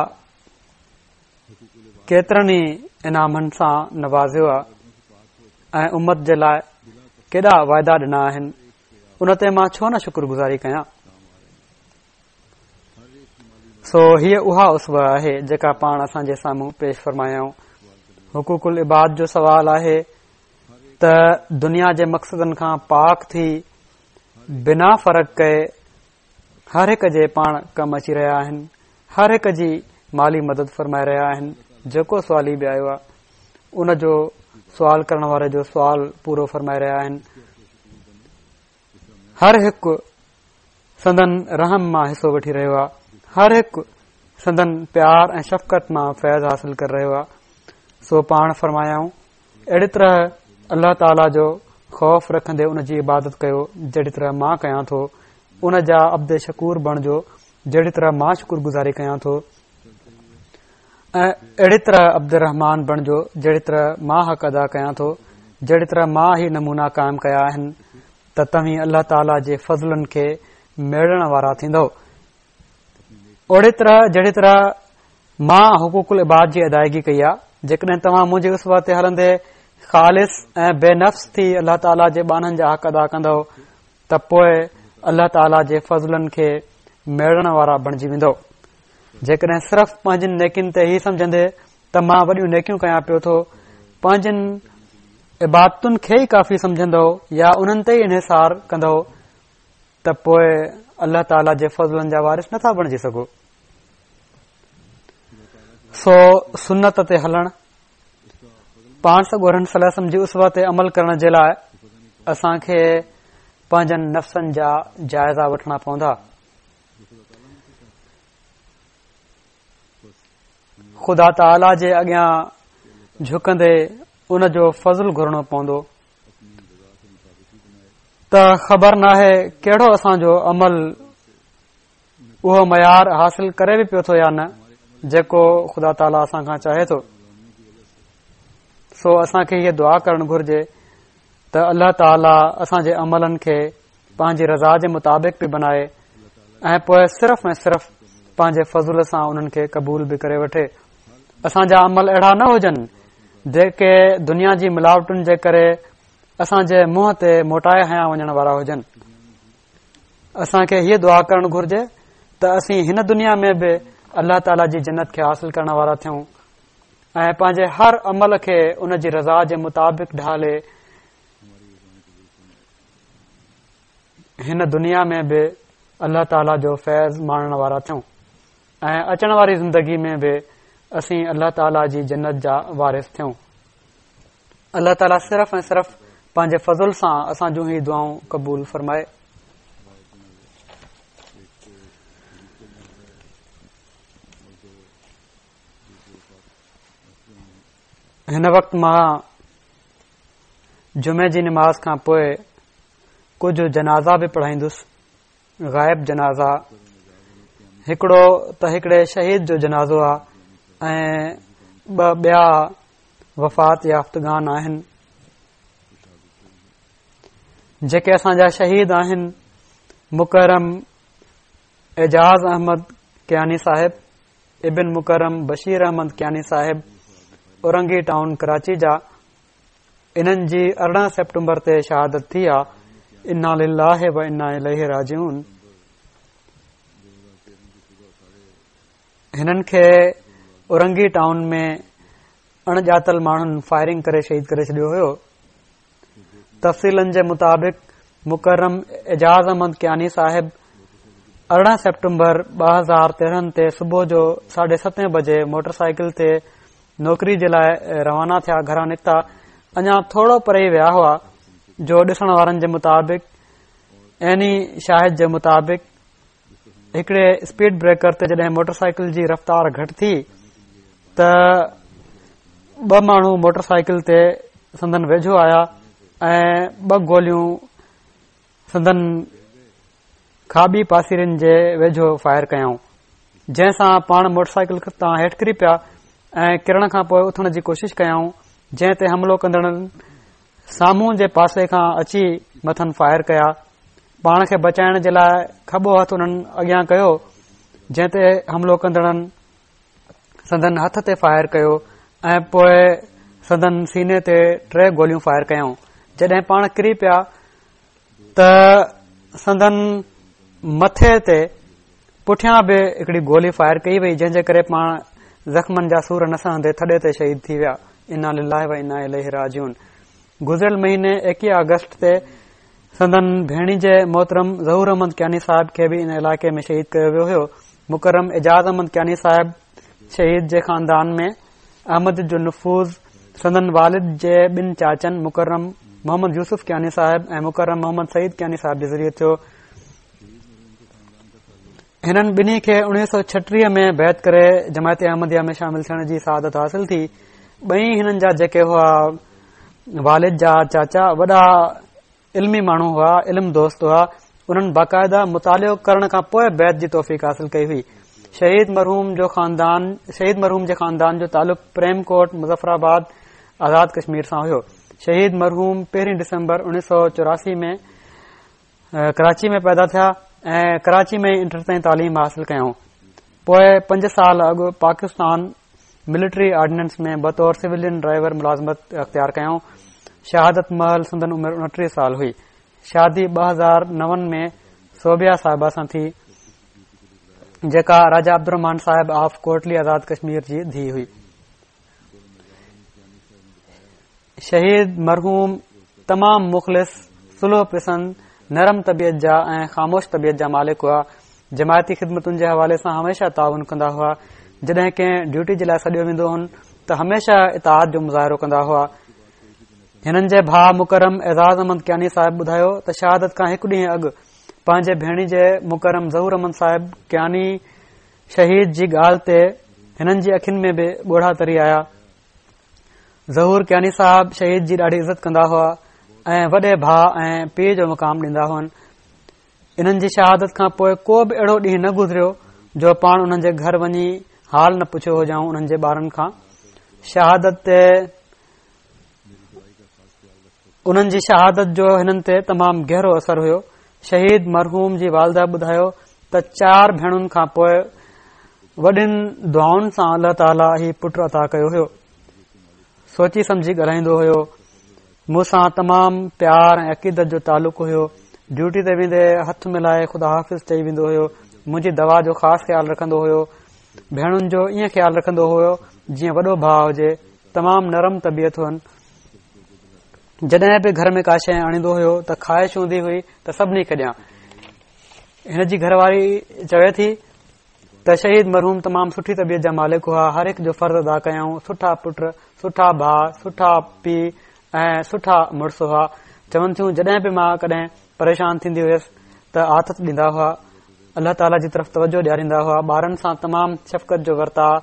ڪيترن ئي انعامن سان نوازيو آهي ۽ امت جي لاء ڪيڏا واعدا ڏنا آهن ان تي مان ڇو نه شڪر گذاري ڪيان. سو هيء اها اسوه آهي جيڪا پاڻ اسان جي سامهون پيش فرمايائون. حقوق العباد جو سوال آهي ته دنيا جي مقصدن کان پاڪ ٿي بنا فرق ڪئي هر هڪ جي پاڻ ڪم اچي رهيا آهن، هر هڪ جي مالي مدد فرمائي رهيا آهن، جيڪو سوالي به آيو آهي ان جو سوال ڪرڻ واري جو سوال پورو فرمائي رهيا آهن. هر هڪ سندن رحم مان حصو وٺي رهيو آهي هر هڪ سندن پيار ۽ شفقت مان فيض حاصل ڪري رهيو آهي سو پاڻ فرمايائون اهڙي طرح الله تعاليٰ جو خوف رکندي ان جي عبادت ڪيو جهڙي طرح مان ڪيان ٿو ان جا عبد شڪور بڻجو جهڙي طرح مان شڪر گذاري ڪيان ٿو ۽ اهڙي طرح عبدالرحمان بڻجو جهڙي طرح مان حق ادا ڪيان ٿو جهڙي طرح مان هي نمونا قائم ڪيا آهن ته توهين الله تعاليٰ جي فضلن کي ميڙڻ وارا ٿيندؤ اهڙي طرح جهڙي طرح مان حقوق العباد جي ادائيگي ڪئي آهي جيڪڏهن توهان منهنجي اسوه تي هلندي خالص ۽ بي نفس ٿي الله تعاليٰ جي ٻانهن جا حق ادا ڪندؤ ته پوء الله تعاليٰ جي فضلن کي ميڙڻ وارا بڻجي ويندؤ جيڪڏهن صرف پنهنجين نيڪين تي هي سمجهندي ته مان وڏيون نيڪيون ڪيان پيو ٿو پنهنجين عبادتن کي ئي ڪافي سمجهندؤ يا انهن تي ئي انحصار ڪندؤ ته پوء الله تعاليٰ جي فضلن جا وارث نٿا بڻجي سگهو. سو سنت تي هلڻ پاڻ سڳورن صلي الله عليه وسلم جي اسوه تي عمل ڪرڻ جي لاء اسان کي پنهنجن نفسن جا جائزا وٺڻا پوندا. خدا تعاليٰ جي اڳيان جهڪندي ان جو فضل گهرڻو پوندو ته خبر ناهي ڪهڙو اسان جو عمل اهو معيار حاصل ڪري به پيو ٿو يا نه جيڪو خدا تعاليٰ اسان کان چاهي ٿو. سو اسان کي هيء دعا ڪرڻ گهرجي ته الله تعاليٰ اسان جي عملن کي پنهنجي رضا جي مطابق به بنائي ۽ پوء صرف ۽ صرف پنهنجي فضل سان انهن کي قبول به ڪري وٺي. اسان جا عمل اهڙا نه هجن جيڪي دنيا جي ملاوٽن جي ڪري اسان جي منهن تي موٽائي هنيا وڃڻ وارا هجن. اسان کي هيء دعا ڪرڻ گهرجي ته اسين هن دنيا ۾ به الله تعاليٰ جي جنت کي حاصل ڪرڻ وارا ٿيون ۽ پنهنجي هر عمل کي ان جي رضا جي مطابق ڍالي هن دنيا ۾ به الله تعاليٰ جو فيض ماڻڻ وارا ٿيون ۽ اچڻ واري زندگي ۾ به اسين الله تعاليٰ جي جنت جا وارث ٿيون. الله تعاليٰ صرف ۽ صرف پنهنجي فضل سان اسان جون هي دعائون قبول فرمائي. هن وقت مان جمعي جي نماز کان پوء ڪجهه جنازا به پڙهائيندس، غائب جنازا. هڪڙو ته هڪڙي شهيد جو جنازو آ ۽ ٻه ٻيا وفات يافتگان آهن جيڪي اسان جا شهيد آهن. مڪرم اعجاز احمد ڪياني صاحب ابن مڪرم بشير احمد ڪياني صاحب اورنگي ٽائون ڪراچي جا، انهن جي 18 سيپٽمبر تي شهادت ٿي آ. انا لله و انا اليه راجعون. هنن کي اورنگي ٽائون ۾ اڻ ڄاتل ماڻهن فائرنگ ڪري شهيد ڪري ڇڏيو هيو. تفصيلن جي مطابق مڪرم اعجاز احمد ڪياني صاحب 18 سيپٽمبر 2013 تي صبح جو ساڍي ستين بجي موٽر سائيڪل تي نوڪري جي لاء روانا ٿيا. گهران نڪتا اڃا ٿورو پري ئي ويا هئا جو ڏسڻ وارن جي مطابق عيني شاهد جي مطابق هڪڙي اسپيڊ بريڪر تي جڏهن موٽر سائيڪل جي رفتار گهٽ ٿي ته ٻه ماڻهو موٽر سائيڪل تي سندن ويجهو آيا ۽ ٻه گوليون سندن کاٻي پاسيرين جي ويجهو فائر ڪيائون جنهن سان پاڻ موٽر سائيڪل تان هيٺ ڪري پيا. ۽ ڪرڻ کان پوء اٿڻ جي ڪوشش ڪيائون، جنهن تي حملو ڪندڙن سامهون جي پاسي کان اچي مٿن فائر ڪيا. پاڻ کي بچائڻ جي لاء کٻو هٿ انهن اڳيان ڪيو، جنهن تي حملو ڪندڙن سندن هٿ تي فائر ڪيو ۽ پوء سندن سيني تي ٽي گوليون فائر ڪيائون. جڏهن پاڻ ڪري پيا ته سندن مٿي تي پٺيان به هڪڙي گولي فائر ڪئي وئي جنهن جي ڪري پاڻ زخمن جا سور نه سهندي ٿڏي تي شهيد ٿي ويا. انا لله و انا اليه راجعون. گذريل مهيني 21 آگسٽ تي سندن ڀيڻيجي محترم ظهور احمد ڪياني صاحب کي به ان علائقي ۾ شهيد ڪيو ويو هيو. مڪرم اعجاز احمد ڪياني صاحب شهيد جي خاندان ۾ احمديت جو نفوذ سندن والد جي ٻن چاچن مڪرم محمد يوسف ڪياني صاحب ۽ مڪرم محمد سعيد ڪياني صاحب جي ذريعي ٿيو. هنن ٻنهي کي 1936 ۾ بيعت ڪري جماعت احمديه ۾ شامل ٿيڻ جي سعادت حاصل ٿي. ٻئي هنن جا جيڪي هئا والد جا چاچا وڏا علمي ماڻهو هئا، علم دوست هئا، انهن باقاعده مطالعو ڪرڻ کان پوء بيعت جي توفيق حاصل ڪئي هئي. شهيد مرحوم جو خاندان شهيد مرحوم جي خاندان جو تعلق پريم ڪوٽ مظفر آباد آزاد ڪشمير سان هيو. شهيد مرحوم پهرين ڊسمبر 1984 ۾ ڪراچي ۾ پيدا ٿيا ۽ ڪراچي ۾ ئي انٽر تائين تعليم حاصل ڪيائون. پوء پنج سال اڳ پاڪستان ملٽري آرڊيننس ۾ بطور سويلين ڊرائيور ملازمت اختيار ڪيائون. شهادت مهل سندن عمر 29 سال هئي. شادي 2009 ۾ ثوبيه صاحبه سان ٿي، جيڪا راجا عبدالرحمان صاحب آف ڪوٽلي آزاد ڪشمير جي ڌيء هئي. شهيد مرحوم تمام مخلص، صلح پسند، نرم طبيعت جا ۽ خاموش طبيعت جا مالڪ هئا. جماعتي خدمتن جي حوالي سان هميشه تعاون ڪندا هئا. جڏهن ڪنهن ڊيوٽي جي لاء سڏيو ويندو هن ته هميشه اطاعت جو مظاهرو ڪندا هئا. هنن جي ڀاء مڪرم اعزاز احمد ڪياني صاحب ٻڌايو ته شهادت کان هڪ ڏينهن اڳ پنهنجي ڀيڻيجي مڪرم ظهور احمد صاحب ڪياني شهيد جي ڳالهه تي هنن جي اکين ۾ به ڳوڙها تري آيا. ظهور ڪياني صاحب شهيد جي ڏاڍي عزت ڪندا هئا ۽ وڏي ڀاء ۽ پيء جو مقام ڏيندا هئن. انهن جي شهادت کان پوء ڪو به اهڙو ڏينهن نه گذريو جو پاڻ انهن جي گهر وڃي حال نه پڇيو هجائون انهن جي ٻارن کان شهادت تي انهن جي شهادت جو هنن تي تمام گهرو اثر هيو. شهيد مرحوم جي والده ٻڌايو ته چار ڀيڻن کان پوء وڏين دعائن سان الله تعاليٰ هي پٽ عطا ڪيو هيو. سوچي سمجهي ڳالهائيندو هيو. مون سان تمام پيار ۽ عقيدت جو تعلق هيو. ڊيوٽي تي ويندي هٿ ملائي خدا حافظ چئي ويندو هيو. منهنجي دوا جو خاص خيال رکندو هيو. ڀيڻن جو ائين خيال رکندو هيو جيئن وڏو ڀاء هجي. تمام نرم طبيعت هئن. جڏهن به گهر ۾ ڪا شيء آڻيندو هيو ته خواهش هوندي هئي ته سڀني کي ڏيان. هن جي گهر واري چوي ٿي ته شهيد مرحوم تمام سٺي طبيعت جا مالڪ هئا، هر هڪ جو فرض ادا ڪيائون، سٺا پٽ، سٺا ڀاء، سٺا پيء ۽ سٺا مڙس هئا. چون ٿيون جڏهن به مان ڪڏهن پريشان ٿيندي هيس ته آٿت ڏيندا هئا، الله تعاليٰ جي طرف توجه ڏياريندا هئا، ٻارن سان تمام شفقت جو ورتاء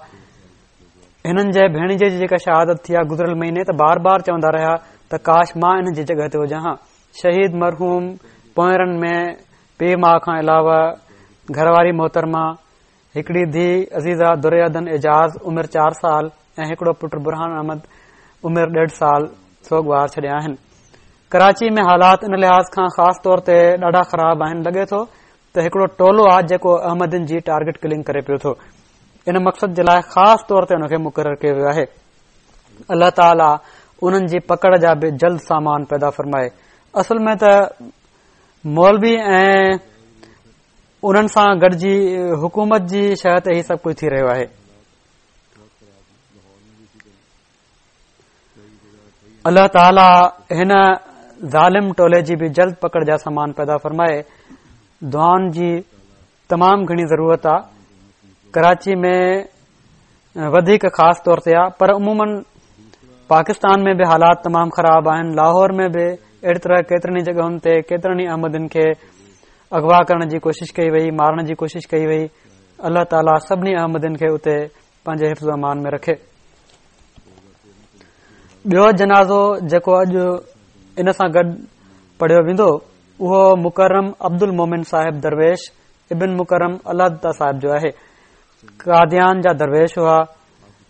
هنن جي ڀيڻيجي جي جيڪا شهادت ٿي آ گذريل مهيني ته بار بار چوندا رهيا ته ڪاش مان انهن جي جڳهه تي هجان ها. شهيد مرحوم پوئرن ۾ پيء ماء کان علاوه گهر واري محترمه، هڪڙي ڌيء عزيزه در عدن اعجاز عمر چار سال ۽ هڪڙو پٽ برهان احمد عمر ڏيڍ سال سوڳوار ڇڏيا آهن. ڪراچي ۾ حالات ان لحاظ کان خاص طور تي ڏاڍا خراب آهن لڳي ٿو ته هڪڙو ٽولو آ جيڪو احمدين جي ٽارگيٽ ڪلنگ ڪري پيو ٿو. ان مقصد جي لاء خاص طور تي ان کي مقرر ڪيو ويو آهي. الله تعاليٰ انهن جي پڪڙ جا به جلد سامان پيدا فرمائي. اصل ۾ ته مولوي ۽ انهن سان گڏجي حڪومت جي شهه تي هي سڀ ڪجهه ٿي رهيو آهي. الله تعاليٰ هن ظالم ٽولي جي به جلد پڪڙ جا سامان پيدا فرمائي. دعائن جي تمام گهڻي ضرورت آ ڪراچي ۾ وڌيڪ خاص طور تي آ پر عموماً پاڪستان ۾ به حالات تمام خراب آهن لاهور ۾ به اهڙي طرح ڪيترن ئي جڳهن تي ڪيترن ئي احمدين کي اغوا ڪرڻ جي ڪوشش ڪئي وئي مارڻ جي ڪوشش ڪئي وئي الله تعاليٰ سڀني احمدين کي اتي پنهنجي حفظ و امان ۾ رکي ٻيو جنازو جيڪو اڄ ان سان گڏ پڙهيو ويندو اهو مڪرم عبدالمومن صاحب درويش ابن مڪرم الله دتا صاحب جو آهي قاديان جا درويش هئا.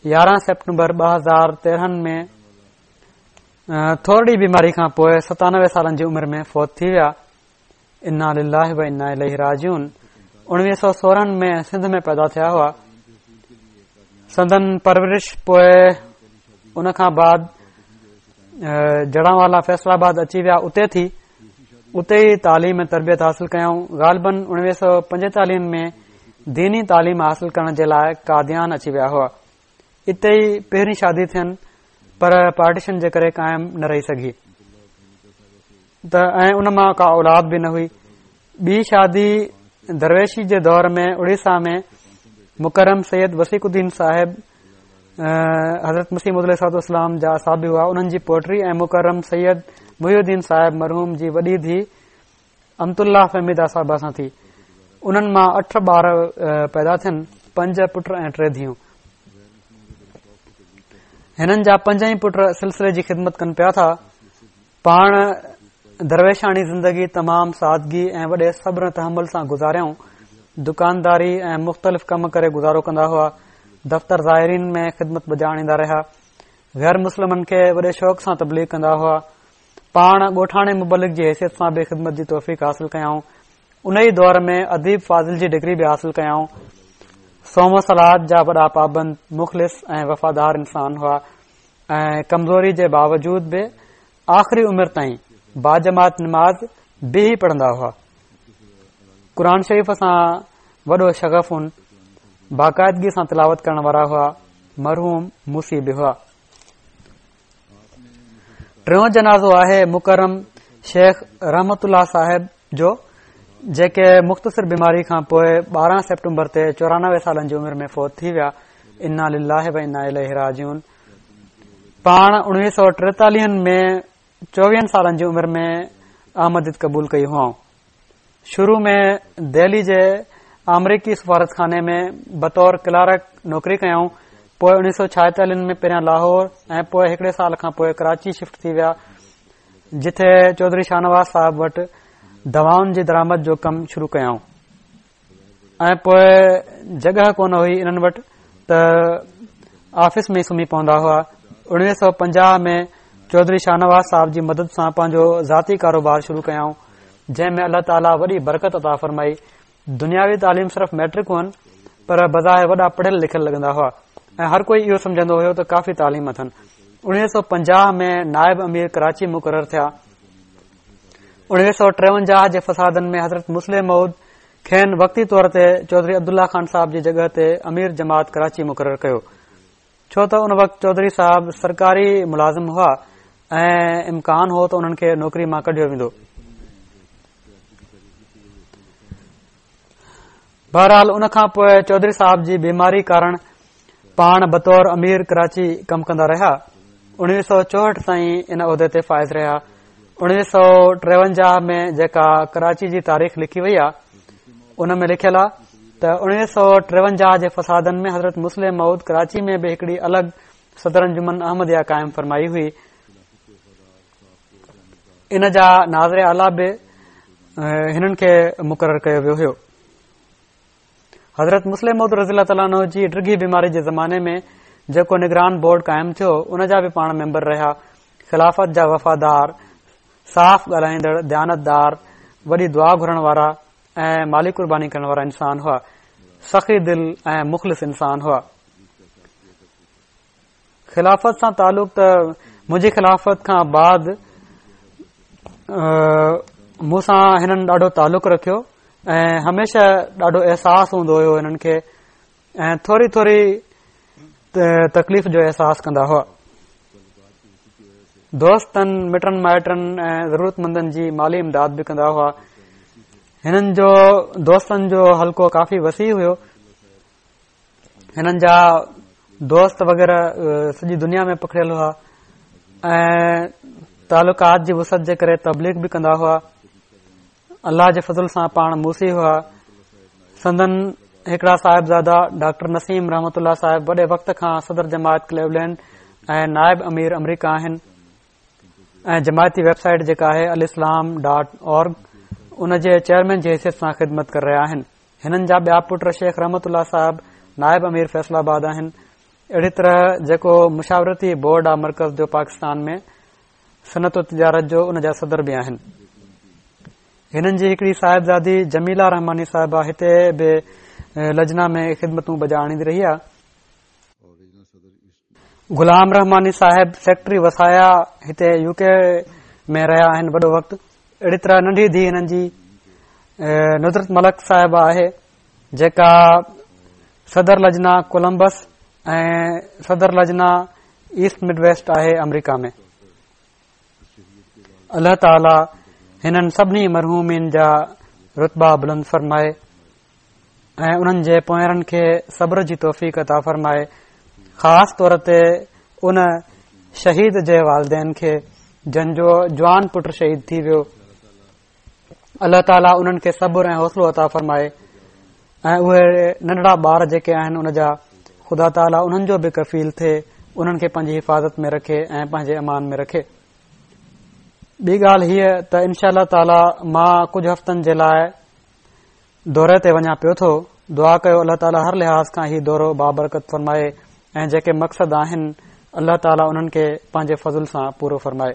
11 سيپٽمبر 2013 ۾ ٿورڙي بيماري کان پوء 97 سالن جي عمر ۾ فوت ٿي ويا. انا لله و انا اليه راجعون. 1916 ۾ سنڌ ۾ پيدا ٿيا هئا. سندن پرورش پوء ان کان بعد جڙانوالا فيصل آباد اچي ويا اتي ٿي. اتي ئي تعليم ۽ تربيت حاصل ڪيائون. غالباً 1945 ۾ ديني تعليم حاصل ڪرڻ جي لاء قاديان اچي ويا هئا. اتي ئي پهرين شادي ٿين پر پارٽيشن جي ڪري قائم نه رهي سگهي ته ۽ ان مان ڪا اولاد به نه هئي. ٻي شادي درويشي جي دور ۾ اڙيسا ۾ مڪرم سيد وثيق الدين صاحب حضرت مسيح موعود عليه الصلوة والسلام جا اصحابي هئا انهن جي پوٽي ۽ مڪرم سيد محي الدين صاحب مرحوم جي وڏي ڌي امت الله فهميده صاحبه سان ٿي. انهن مان اٺ ٻار پيدا ٿين، پنج پٽ ۽ ٽي ڌيئون. هنن جا پنج ئي پٽ سلسلي جي خدمت ڪن پيا ٿا. پاڻ درويشاڻي زندگي تمام سادگي ۽ وڏي صبر ۽ تحمل سان گذاريائون. دڪانداري ۽ مختلف ڪم ڪري گذارو ڪندا هئا. دفتر زائرين ۾ خدمت بجا آڻيندا رهيا. غير مسلمن کي وڏي شوق سان تبليغ ڪندا هئا. پاڻ ڳوٺاڻي مبلغ جي حيثيت سان به خدمت جي توفيق حاصل ڪيائون. ان ئي دور ۾ اديب فاضل جي ڊگري به حاصل ڪيائون. صوم و صلوة جا وڏا پابند، مخلص ۽ وفادار انسان هئا ۽ ڪمزوري جي باوجود به آخري عمر تائين باجماعت نماز بيهي پڙهندا هئا. قرآن شريف سان وڏو شغف هن، باقاعدگي سان تلاوت ڪرڻ وارا هئا. مرحوم موصي به هئا. ٽيون جنازو آهي مڪرم شيخ رحمت الله صاحب جو جيڪي مختصر بيماري کان پوء 12 سيپٽمبر تي 94 سالن جي عمر ۾ فوت ٿي ويا. انا لله و انا اليه راجعون. پاڻ 1943 ۾ 24 سالن جي عمر ۾ احمديت قبول ڪئي هئائون. شروع ۾ دهلي جي آمريڪي سفارتخاني ۾ بطور ڪلارڪ نوڪري ڪيائون. پوء 1946 ۾ پهريان لاهور ۽ پوء هڪڙي سال کان پوء ڪراچي شفٽ ٿي ويا جتي چوڌري شاهنواز صاحب وٽ دوائن جي درآمد جو ڪم شروع ڪيائون. ۽ پوء جڳهه ڪونه هئي انهن وٽ ته آفيس ۾ سمهي پوندا هئا. 1950 ۾ چوڌري شاهنواز صاحب جي مدد سان پنهنجو ذاتي ڪاروبار شروع ڪيائون جنهن ۾ الله تعاليٰ وڏي برڪت عطا فرمائي. دنياوي تعليم صرف مئٽرڪ هئن پر بظاهر وڏا پڙهيل لکيل لڳندا هئا ۽ هر ڪوئي اهو سمجهندو هيو ته ڪافي تعليم اٿن. 1950 ۾ نائب امير ڪراچي مقرر ٿيا. 1953 جي فسادن ۾ حضرت مصلح موعود کين وقتي طور تي چوڌري عبدالله خان صاحب جي جڳهه تي امير جماعت ڪراچي مقرر ڪيو ڇو ته ان وقت چوڌري صاحب سرڪاري ملازم هئا ۽ امڪان هو ته انهن کي نوڪري مان ڪڍيو ويندو. بهرحال ان کان پوء چوڌري صاحب جي بيماري ڪارڻ پاڻ بطور امير ڪراچي ڪم ڪندا رهيا. 1964 تائين ان عهدي تي فائز رهيا. 1953 ۾ جيڪا ڪراچي جي تاريخ لکي وئي آهي ان ۾ لکيل آهي ته 1953 جي فسادن ۾ حضرت مصلح موعود ڪراچي ۾ به هڪڙي الڳ صدر انجمن احمديه قائم فرمائي هئي. ان جا ناظر اعليٰ به هنن کي مقرر ڪيو ويو هيو. حضرت مصلح موعود رضي الله تعالٰي عنه جي ڊگهي بيماري جي زماني ۾ جيڪو نگران بورڊ قائم ٿيو ان جا به پاڻ ميمبر رهيا. خلافت جا وفادار، صاف ڳالهائيندڙ، ديانتدار، وڏي دعا گهرڻ وارا ۽ مالي قرباني ڪرڻ وارا انسان هئا. سخي دل ۽ مخلص انسان هئا. خلافت سان تعلق ته منهنجي خلافت کان بعد مون سان هنن ڏاڍو تعلق رکيو ۽ هميشه ڏاڍو احساس هوندو هيو هنن کي ۽ ٿوري ٿوري تڪليف جو احساس ڪندا هئا. دوستن مٽن مائٽن ۽ ضرورت مندن جي مالي امداد به ڪندا هئا. هنن جو دوستن جو حلقو ڪافي وسيع هيو. هنن جا دوست وغيره سڄي دنيا ۾ پکڙيل هئا ۽ تعلقات جي وسعت جي ڪري تبليغ به ڪندا هئا. الله جي فضل سان پاڻ موصي هئا. سندن هڪڙا صاحبزادا ڊاڪٽر نسيم رحمت الله صاحب وڏي وقت کان صدر جماعت ڪليولينڊ ۽ نائب امير آمريڪا آهن ۽ جماعتي ويب سائيٽ جيڪا آهي الاسلام ڊاٽ اورگ ان جي چيئرمين جي حيثيت سان خدمت ڪري رهيا آهن. هنن جا ٻيا پٽ شيخ رحمت الله صاحب نائب امير فيصل آباد آهن. اهڙي طرح جيڪو مشاورتي بورڊ آ مرڪز جو پاڪستان ۾ صنعت و تجارت جو ان جا صدر به آهن. هنن جي هڪڙي صاحبزادي جميله رحماني صاحبه هتي به لجنا ۾ خدمتون بجا آڻيندي رهي آ. غلام رحماني صاحب سيڪريٽري وصايا هتي يو ڪي ۾ رهيا آهن وڏو وقت. اهڙي طرح ننڍي ڌيء هنن جي ندرت ملڪ صاحبه آهي جيڪا صدر لجنا ڪولمبس ۽ صدر لجنا ايسٽ مڊ ويسٽ آهي آمريڪا ۾. الله تعالي هنن سڀني مرحومين جا رتبا بلند فرمائي ۽ انهن جي پوئرن کي صبر جي توفيق عطا فرمائي، خاص طور تي ان شهيد جي والدين کي جن جو جوان پٽ شهيد ٿي ويو. الله تعالي انهن کي صبر ۽ حوصلو عطا فرمائي ۽ اهي ننڍڙا ٻار جيڪي آهن ان جا خدا تعالي انهن جو به ڪفيل ٿئي، انهن کي پنهنجي حفاظت ۾ رکي ۽ پنهنجي امان ۾ رکي. ٻي ڳالهه هيء ته انشاء الله تعالي مان ڪجهه هفتن جي لاء دوري تي وڃان پيو ٿو، دعا ڪيو الله تعالي هر لحاظ کان هي دورو بابرڪت فرمائي ۽ جيڪي مقصد آهن الله تعالي انهن کي پنهنجي فضل سان پورو فرمائي.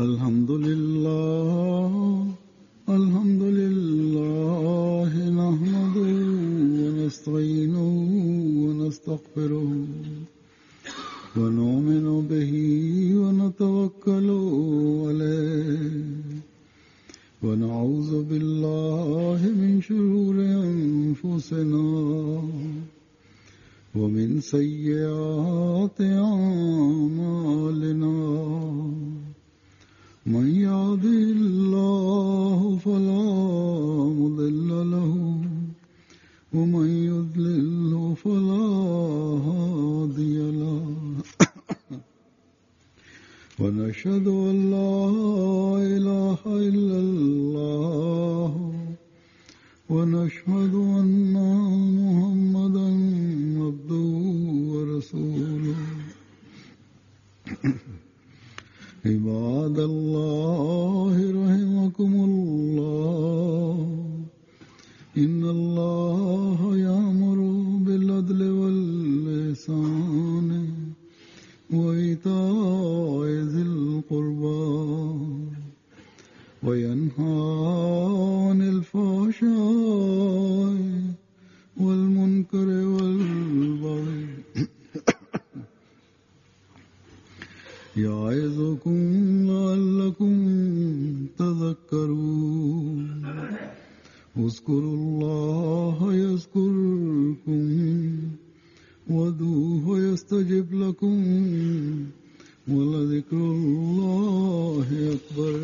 الحمد لله الحمد لله نحمده ونستعينه ونستغفره ونؤمن به ونتوكل عليه ونعوذ بالله من شرور أنفسنا ومن سيئات أعمالنا من يهده الله فلا مضل له ومن يضلله فلا هادي له ونشهد أن لا إله إلا الله ونشهد أن محمدا عبده ورسوله عباد الله رحمكم الله إن الله يأمر بالعدل والإحسان وإيتاء ذي القربى وينهى عن الفحشاء والمنكر والبغي يعظكم لعلكم تذكرون اذكروا الله يذكركم وادعوه يستجب لكم ولذكر الله أكبر.